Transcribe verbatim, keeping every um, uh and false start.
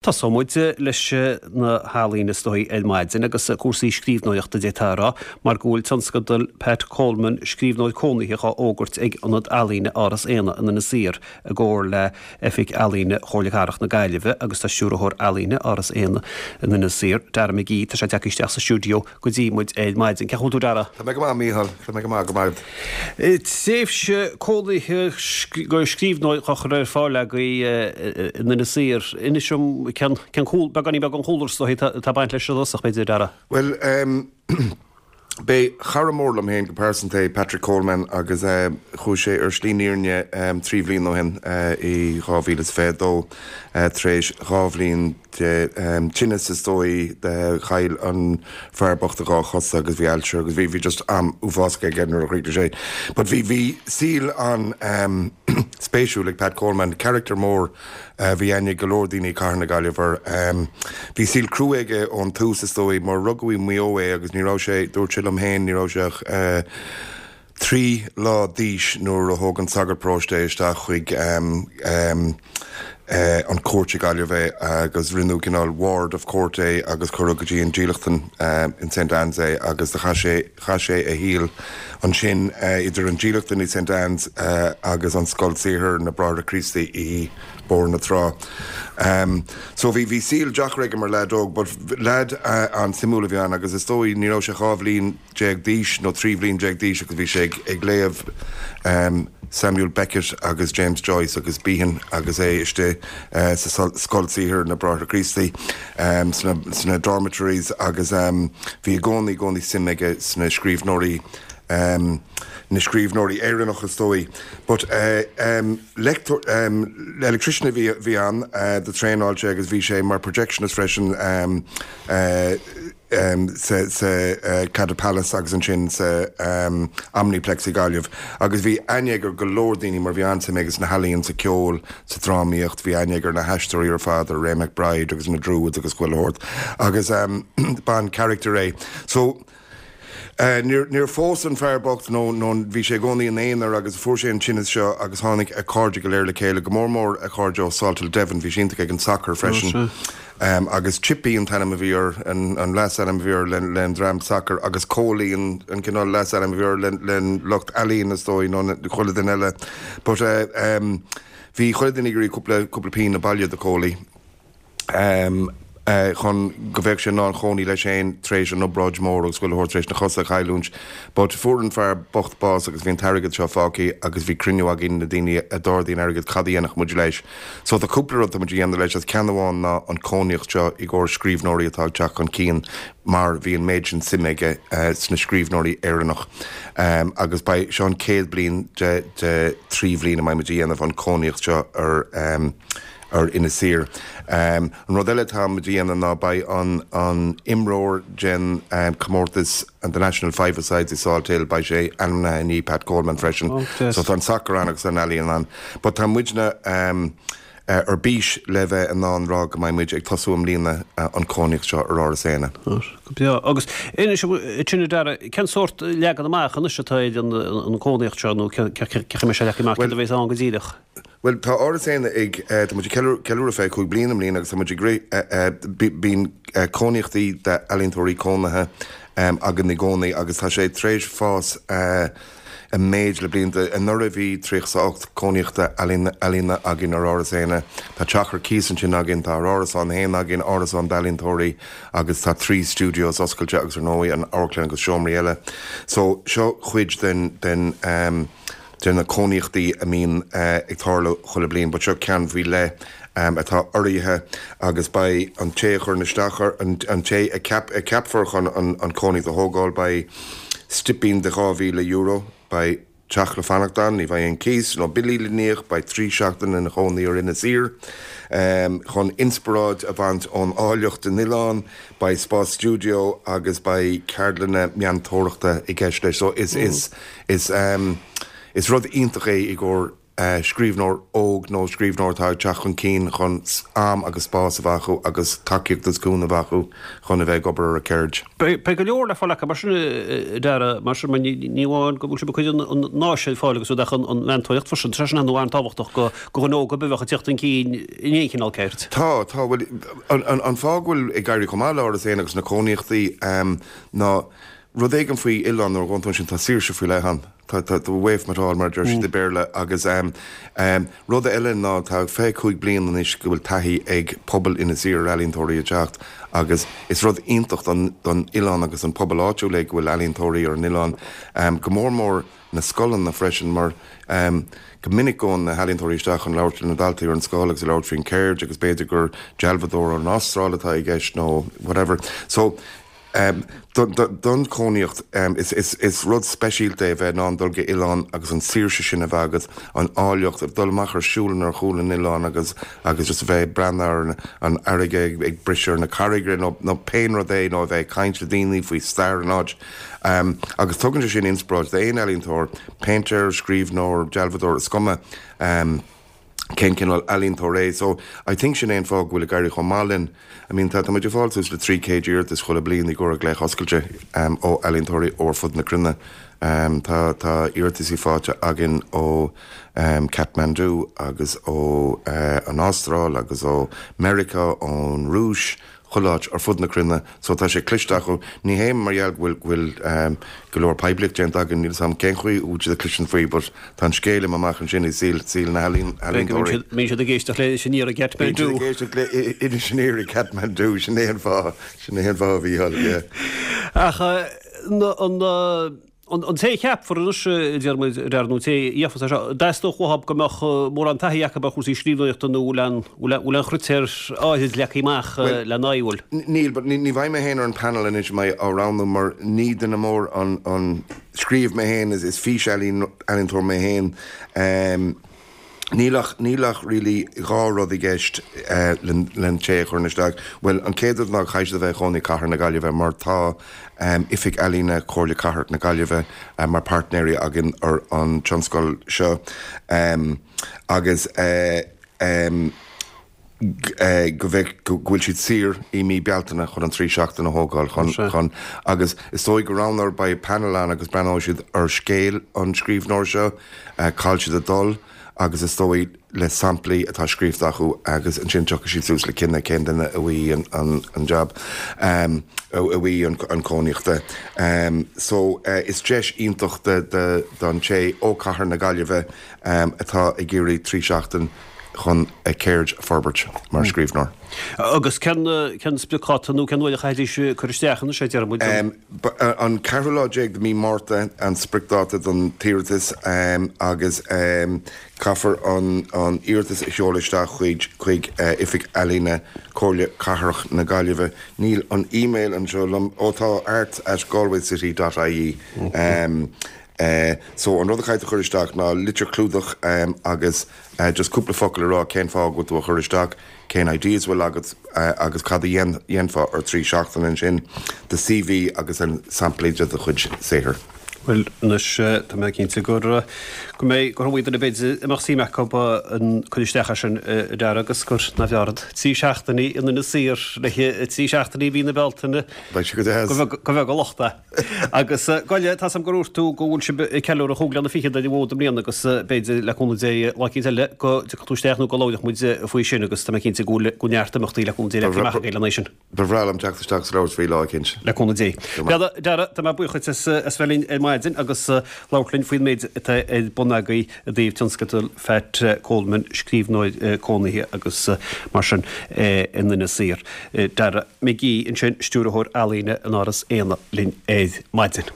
Tosóidh muid leis na healaíona is dóigh ar maidin agus cúrsaí scríbhneoireachta d'fhéadfá a rá mar go bhfuil tionscadal Pat Coleman scríbhneoir cónaitheach á fhógairt ag Ionad Ealaíne Áras Éanna in Inis Oírr i gcomhar le Oifig Ealaíne Chomhairle Cathrach na Gaillimhe agus tá stiúrthóir ealaíne Áras Éanna in Inis Oírr, Dara McGee, tá sé tagtha isteach sa stiúideo go dtí muid ar maidin. Cén chaoi a bhfuil tú Dara? Tá mé go maith Mícheál, tá mé go maith go maith. Tréimhse cónaithe go scríbhneoir á chur ar fáil agaibh in Inis Oírr. Inis dom cén cén cúl beagáinín beag an chúlra is dóigh atá ag baint leis i dtosach b'fhéidir Dara. Well um, B'é cara mór liom féin go pearsanta é Patrick Coleman agus uh, chuaigh sé ar shlí na fírinne um, trí bhliain ó shin uh, i dhá mhíle is fiche dó uh, tar éis dhá bhliain de um, tinneas is dóigh de chaill an fear bocht a dhá chosa agus bhí ailse agus bhí bhí just am uafásach aige nuair a chríochnaigh sé. But bhí bhí saol an um, spéisiúil ag Pat Coleman, character mór uh, bhí aithne go leor daoine cathair na Gaillimhe. Um, bhí saol crua aige ón tús is dóigh mar rugadh i Maigh Eo é agus ní raibh sé dúirt sé liom féin ní raibh sé ach uh, trí lá d'aois nuair a thóg an sagart paróiste isteach chuig um, um, uh, an cúirt i Gaillimh é agus rinneadh cineál ward of court é agus cuireadh go dtí an dílleachtlann uh, in St Anne's é agus do chaith sé chaith sé a shaol ansin uh, idir an dílleachtlann i St Anne's uh, agus an scoil saothair na Bráithre Críostaí i Bóthar na Trá. Um, so bhí bhí saol deacair aige mar leaid óg, but leaid uh, an-suimiúil a bhí ann agus is dóigh ní raibh sé dhá bhliain déag d'aois nó trí bhliain déag d'aois agus bhí sé ag, ag léamh um, Samuel Beckett agus James Joyce agus Behan agus é istigh uh, sa scoil saothair na Bráithre Críostaí um, sna, sna dormitories agus um, bhí i gcónaí gcónaí suim aige sna scríbhneoirí um, na scríbhneoirí Éireannach is dóigh. But uh, um, lector, um, electrician a bhí bhí ann uh, do traenáil sé agus bhí sé mar projectionist freisin um, uh, um, sa, sa uh, Claddagh Palace agus ansin sa um, Omniplex i Gaillimh. Agus bhí aithne aige ar go leor daoine mar bhí an-suim aige sna healaíona sa ceol sa drámaíocht, bhí aithne aige ar na haisteoirí ar fad Ray McBride agus na Druids agus chuile shórt. Agus um, b'an-character é. So, Uh, níor níor phós an fear bocht nó nó bhí sé i gcónaí ina aonar agus fuair sé an tinneas seo agus tháinig a chairde go léir le chéile go mór mór a chairde ó Salthill Devon bhí sé iontach ag an soccer freisin. Um, agus Chippy an t-ainm a bhí air an, an leasainm a bhí air le, le an dream soccer agus Cóilí an, an cineál leasainm a bhí air le, le lucht ealaíon is dóigh nó chuile duine eile. But uh, um, bhí chuile duine ag iarraidh cúpla cúpla pingin a bhailiú do Cóilí. Um, Uh, chun go bheadh sé in ann cónaí leis féin tar éis an obráid mór agus chuile shórt tar éis na cosa a chailliúint. But fuair an fear bocht bás agus bhí an t-airgead seo fágtha agus bhí cruinniú againn na daoine a d'ardaigh an airgead cad a dhéanfadh muid leis. So tá cúpla rud muid a dhéanamh leis as ceann amháin ná an cónaíocht seo i gcomhair scríbhneoirí atá ag teacht chun cinn mar bhí an méid sin suim aige uh, sna scríbhneoirí Éireannach. Um, agus beidh seo an chéad bliain de, de trí bhliain a mbeidh muid a dhéanamh an cónaíocht seo ar um, ar Inis Oírr. Um, an rud eile tá muid a dhéanamh ná beidh an, an imreoir den um, comórtas and the National Five-a-Sides i Salthill beidh sé ainmnithe i ndiaidh Pat Coleman freisin. Oh, yes. So tá an soccer ann agus an ealaíon ann. But tá muidne um, uh, ar bís le bheith in ann rá go mbeidh muid ag tosú i mbliana uh, an cónaíocht seo ar Áras Éanna. Go breá. Agus inis dúinn a Dara, cén sórt leagan amach anois atá ar an an cónaíocht seo nó cé sé leagan amach cad a bheas ann go díreach. Well tá Áras Éanna ag uh, tá muid ag ceiliúradh fiche cúig bliain i mbliana agus tá muid ag rith uh, uh, bíonn uh, cónaíochtaí d'ealaíontóirí cónaithe um, againn i gcónaí agus tá sé tar éis fás uh, i méid le blianta anuraidh bhí tríocha ocht cónaíochta ealaíona againn ar Áras Éanna. Tá teach ar cíos ansin againn tá árasán féin againn árasán d'ealaíontóirí agus tá trí studios oscailte agus ar ndóigh an amharclann agus seomraí eile. So seo chuid den den um, de na cónaíochtaí a mbíonn uh, ag tarlú chuile bliain, but seo ceann faoi leith um, atá urraithe agus beidh an té chur isteach an, an té a, ceap, a ceapfar chun an, an cónaíocht a thógáil beidh stipend de dhá mhíle euro beidh teach le fanacht ann, ní bheidh aon cíos nó billí le n-íoc beidh trí seachtain ina chónaí ar Inis Oírr. Um, chun inspioráid a bhaint ón áilleacht den oileán, beidh spás studio agus beidh ceardlanna meantóireachta i gceist leis. So is, mm. is, is, um, is rud iontach é i gcomhair scríbhneoir óg nó scríbhneoir atá ag teacht chun cinn chun am agus spás a bheith acu agus tacaíocht agus cúnamh a bheith acu chun a bheith ag obair ar a gceird. Beidh go leor le fáil acu mar sin Dara mar sin ní amháin go bhfuil sibh ag cur an áis ar fáil agus ach an mheantóireacht freisin tá sin an-tábhachtach go go dhuine óg a bheadh ag teacht chun cinn in aon chineál ceird. Tá tá bhfuil an fáth go bhfuil ag éirí chomh maith le Áras Éanna agus na cónaíochtaí ná rud éigin faoi oileán nuair a ghabhann tú ansin tá saoirse faoi leith ann. Tá tá away from it all mar deir siad i Béarla agus um, um, rud eile ná tá fiche cúig bliain anois go bhfuil taithí ag pobal Inis Oírr ar ealaíontóirí ag teacht agus is rud iontach don don oileán agus an pobal áitiúil é go bhfuil ealaíontóirí ar an oileán um, go mór mór na scoileanna freisin mar um, go minic gabhann na healaíontóirí isteach chun labhairt na daltaí ar an scoil agus labhairt faoin cheird agus b'fhéidir gur dealbhádóir ón Astráil atá i gceist nó whatever. So Um, don, don, don chónaíocht um, is, is, is rud speisialta é bheith in ann dul go oileán agus an saoirse sin a bheith agat an áilleacht dul amach ar siúl ar chúl an oileán agus agus just a bheith breathnú ar an fharraige ag, ag briseadh na carraige nó, nó pé rud é nó a bheith caint le daoine faoi stair an áit. Um, agus tugann sé sin inspioráid d'aon ealaíontóir, péintéir, scríbhneoir, dealbhádóir is cuma. Um, cén cineál ealaíontóir é, so I think sin é an fáth go bhfuil ag éirí chomh maith linn. I mean tá muid ag fáil suas le trí chéad iarratas chuile bliain i gcomhair glaoch oscailte um, ó ealaíontóirí ó fud na cruinne. Um, tá tá iarrataisí faighte againn ó um, Kathmandu agus ó uh, an Astráil agus ó Meiriceá ón Rúis, chuile áit ar fud na cruinne, so tá sé cliste acu ní hé mar gheall bhfuil bhfuil um, go leor poiblíocht déanta againn níl sam cén chaoi úd a clisean faoi, but tá an scéal amach ansin i saol saol na healaíontóirí. Bíonn siad ag éisteacht le Inis Oírr i Kathmandu. Inis Oírr i Kathmandu sin é an fáth sin é an fáth a bhí Ach an an té cheapfar anois deir nó té íofa seo theastódh uathu go mbeadh mórán taithí acu ar chúrsaí scríbhneoireachta nó lean lean chritéir áirid leagtha amach le náhfuil. Níl, but ní bheidh mé féin ar an panel anois mé á roghnú mar ní duine mór an an scríobh mé féin is is físealaíontóir mé féin. Um, Níl ach níl ach really dhá rud i gceist uh, len té chur isteach. Well an chéad rud ná caithfidh a bheith i gcónaí i gcathair na Gaillimhe mar tá um, Oifig Ealaíne Chomhairle Cathrach na Gaillimhe uh, mar páirtnéirí againn ar an tionscadal seo. Um, agus uh, um, uh, go bheith go bhfuil siad saor i mí Bealtaine chun an trí seachtain a thógáil chun, chun agus is dóigh go roghnófar beidh panel ann agus breathnóidh siad ar scéal an scríbhneoir seo, uh, cá bhfuil siad ag dul agus is dóigh le samplaí atá scríofa acu agus ansin tiocfaidh siad suas le cinneadh cén duine a bhfaighidh an, an, an job um, a bhfaighidh an, an cónaíochta. Um, so uh, is deis iontach de, de, don té ó cathair na Gaillimhe um, atá ag iarraidh trí seachtain chun a ceird a forbairt mar mm. scríbhneoir. Agus cén cén spriocdháta nó cén uair a chaithfidís cur isteach an sé deir Um, an ceathrú lá déag de mí Márta an spriocdháta don iarratas um, agus um, caithfear an, an iarratas a sheoladh isteach chuig chuig uh, Oifig Ealaíne Comhairle Cathrach na Gaillimhe. Níl an e-mail anseo liom ó tá art at galwaycity.ie. Um, Uh, so an rud a chaithfidh chur isteach ná litir clúdach um, agus uh, just cúpla focal a rá cén fáth go bhfuil tú a chur isteach cén ideas bhfuil agat uh, agus cad a dhéanfá ar trí seachtain ansin do CV agus an samplaí de do chuid saothair. Well anois tá mé cinnte gur go mbeidh gur bhfuil na beidir amach sí acu an chun isteach sin dear agus gur na bheard. Trí seachtainí in Inis Oírr le trí seachtainí mhí na Bealtaine go bheith go lochta. Agus goile tá am gur tú go bhfuil sibh ag ceiliúradh chúig bliana fichead ar an bhfód i mbliana agus b'fhéidir le cúnamh Dé lá eicínt eile go dtiocfaidh tú isteach nó go labhróidh muid faoi sin agus tá mé cinnte go bhfuil go neart imeachtaí le cúnamh Dé le amach le sin. Ba bhreá liom teacht isteach sa labhairt faoi lá eicínt. Le cúnamh Dé. Dara tá mé buíoch as as bheith linn ar maidin agus labhairt linn faoin méid atá ar bun agaibh i dtaobh tionscadal Phat Coleman scríbhneoir cónaithe agus mar sin in Inis Oírr. Dara McGee ansin stiúrthóir ealaíne in Áras Éanna linn ar maidin.